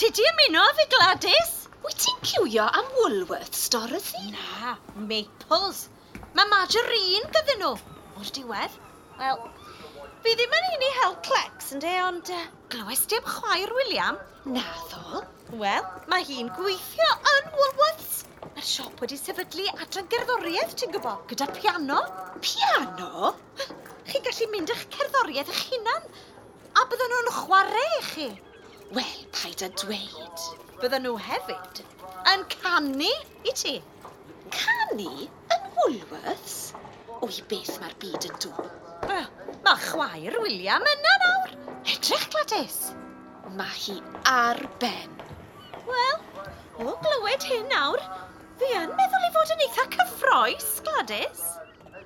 Ti di ymuno â fi, Gladys? Wyt ti'n ciwio am Woolworths, Dorothy? Na, Maples. Mae margarine gyda nhw. O'r diwedd. Wel, fi ddim yn un i hel clecs, ynde, ond glywes di am chwaer William? Naddo. Wel, mae hi'n gweithio yn Woolworths. Mae'r siop wedi sefydlu adran gerddoriaeth, ti'n gwybod, gyda piano. Piano? Chi'n gallu mynd â'ch cerddoriaeth eich hunan, a bydden nhw'n chwarae i chi. Wel, paid â dweud. Bydden nhw hefyd yn canu i ti. Canu? Yn Woolworths? O, i beth mae'r byd yn dod? Wel, mae chwaer William yna nawr. Edrych, Gladys. Mae hi ar ben. Wel, o glywed hyn nawr, fi yn meddwl ei fod yn eitha cyffrous, Gladys.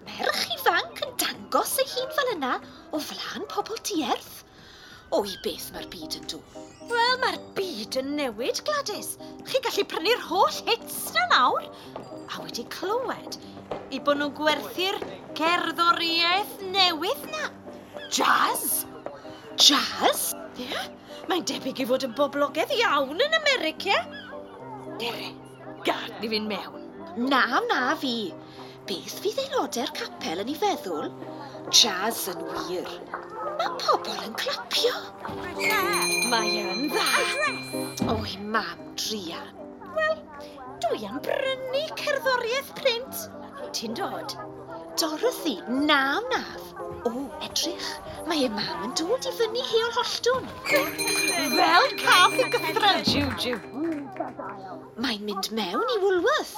Merch ifanc yn dangos ei hun fel yna o flaen pobl dierth. O, i beth mae'r byd yn dod? Wel, mae'r byd yn newid, Gladys. Chi'n gallu prynu'r holl hits na nawr. A wedi clywed i bod nhw'n gwerthu'r cerddoriaeth newydd na. Jazz! Jazz? Ie, yeah, mae'n debyg i fod yn boblogaidd iawn yn America. Dere, gad ni fynd mewn. Na, na fi. Beth fydd aelodau'r capel yn ei feddwl? Jazz yn wir. Mae pobl yn clapio. Mae yn dda. Oi, mam, druan. Wel, dwi am brynu cerddoriaeth print. Ti'n dod? Dorothy, na wnaf. O, edrych, mae ei mam yn dod i fyny Heol Holltwn. Fel cath i gythrel, Juju. Mae'n mynd mewn i Woolworth.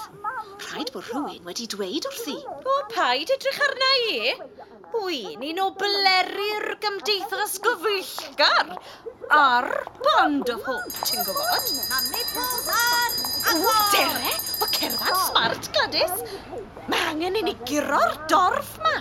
Rhaid bod rhywun wedi dweud wrthi. O, paid edrych arna i. Wy'n un o bleru'r gymdeithas gyfeillgar a'r Band of Hope, ti'n gwybod? O, dere, o cerddad smart, Gladys. Mae angen i ni guro'r dorf ma.